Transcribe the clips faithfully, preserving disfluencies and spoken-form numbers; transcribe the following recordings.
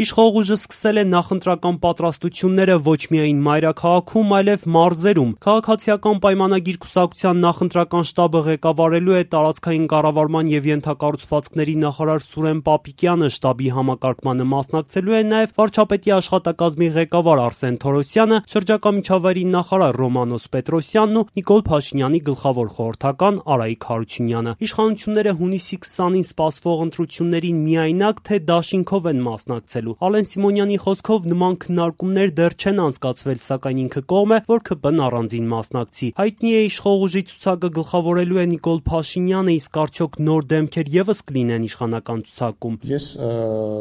Իշխող ուժը սկսել է նախընտրական պատրաստությունները ոչ միայն մայրաքաղաքում, այլև մարզերում։ Քաղաքացիական պայմանագիր կուսակցության նախընտրական շտաբը ղեկավարելու է տարածքային կառավարման և ենթակառուցվածքների նախարար Սուրեն Պապիկյանը, շտաբի համակարգմանը մասնակցելու է նաև վարչապետի աշխատակազմի ղեկավար Արսեն Թորոսյանը, շրջակա միջավայրի նախարար Ռոմանոս Պետրոսյանն ու Նիկոլ Փաշինյանի գլխավոր խորհրդական Արայիկ Հարությունյանը։ Իշխանությունները հունիսի քսանին սպասվող ընտրություններին միայնակ, թե դաշինքով են մասնակցելու։ Ալեն Սիմոնյանի խոսքով նման քննարկումներ դեռ չեն անցկացվել, սակայն ինքը կողմ է, որ ՔՊ-ն առանձին մասնակցի։ Հայտնի է իշխող ուժի ցուցակը գլխավորելու է Նիկոլ Փաշինյանը, իսկ արդյոք նոր դեմքեր ևս կլինեն իշխանական ցուցակում։ Ես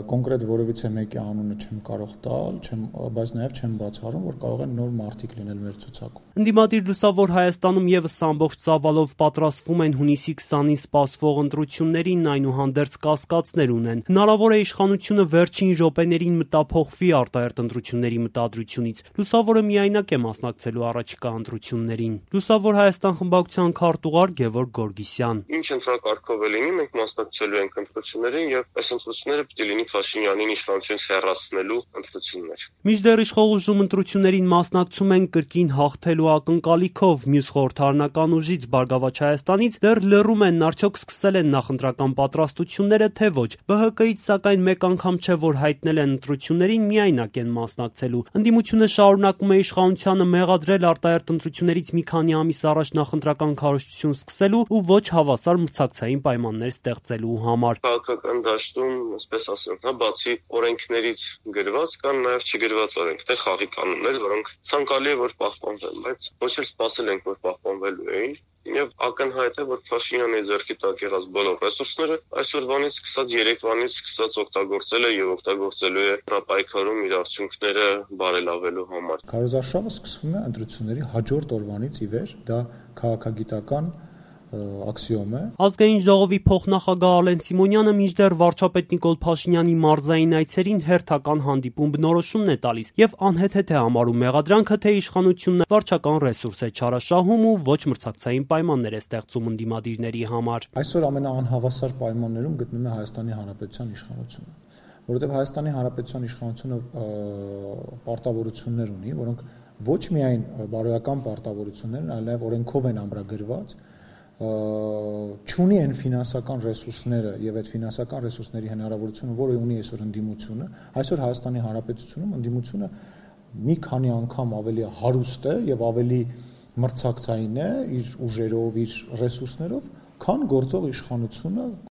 կոնկրետ որևիցե մեկի անունը չեմ կարող տալ, չեմ, բայց նաև չեմ բացառում, որ կարող են նոր մարդիկ լինել մեր ցուցակում։ Ընդդիմադիր Լուսավոր Հայաստանում ևս ամբողջ ծավալով պատրաստվում են հունիսի քսանին սպասվող ընտրություններին, այնուհանդերձ կասկածներ ունեն։ Հնարավոր է իշխանությունը վերջին րոպեներին մտափոխվի արտահերթ ընտրությունների մտադրությունից։ Լուսավորը միայնակ է մասնակցելու առաջիկա ընտրություններին։ Լուսավոր Հայաստան խմբակցության քարտուղար Գևորգ Գորգիսյան. Ինչ ընտրակարգով է լինի, մենք մասնակցելու ենք ընտրություններին եւ այս ընտրությունները պիտի լինի Փաշինյանին իշխանությունից հեռացնելու ընտրություններ։ Մինչդեռ իշխող ուժում ընտրություններին մասնակցում են կրկին հաղթելու ակնկալիքով, մյուս խորհրդարանական ուժից Բարգավաճ Հայաստանից դեռ լռում են, արդյոք սկսել են նախընտրական պատրաստությունները, թե ոչ։ ԲՀԿ-ից սակայն մեկ անգամ չէ, որ հայտնել են ընտրություններին միայնակ են մասնակցելու։ Ընդդիմությունը շարունակում է իշխանությանը մեղադրել արտահերթ ընտրություններից մի քանի ամիս առաջ նախընտրական քարոզչություն սկսելու ու ոչ հավասար մրցակցային պայմաններ ստեղծելու համար։ Քաղաքական դաշտում, այսպես ասեմ, հա, բացի օրենքներից գրված կան նաև չգրված օրենքներ, խաղի կանոններ, որոնք ցանկալի է որ պահպանվեն, բայց ոչ էլ սպասել ենք, որ պահպանվելու էին։ Եվ ակնհայտ է, որ Փաշինյանի ձեռքի տակ եղած բոլոր ռեսուրսները այսօրվանից սկսած երեկվանից սկսած օգտագործել է եւ օգտագործելու է հրապայքարում իր արդյունքները բարելավելու համար։ Քարոզարշավը սկսվում է ընտրությունների հաջորդ օրվանից ի վեր, դա քաղաքագիտական աքսիոմ է։ Ազգային ժողովի փոխնախագահ Ալեն Սիմոնյանը մինչդեռ վարչապետ Նիկոլ Փաշինյանի մարզային այցերին հերթական հանդիպում բնորոշումն է տալիս եւ անհեթեթ է համարում մեղադրանքը, թե իշխանությունն վարչական ռեսուրս է չարաշահում ու ոչ մրցակցային պայմաններ է ստեղծում ընդդիմադիրների համար։ Այսօր ամենաանհավասար պայմաններում գտնվում է Հայաստանի Հանրապետության իշխանությունը, որովհետեւ Հայաստանի Հանրապետության իշխանությունը պարտավորություններ ունի, որոնք ոչ միայն բարոյական պարտավորություններ, այլև օրենքով են ամրագրված, չունի այն ֆինանսական ռեսուրսները եւ այդ ֆինանսական ռեսուրսների հնարավորությունը, որը ունի այսօր ընդդիմությունը, այսօր Հայաստանի Հանրապետությունում ընդդիմությունը մի քանի անգամ ավելի հարուստ է եւ ավելի մրցակցային է իր ուժերով, իր ռեսուրսներով, քան գործող իշխանությունը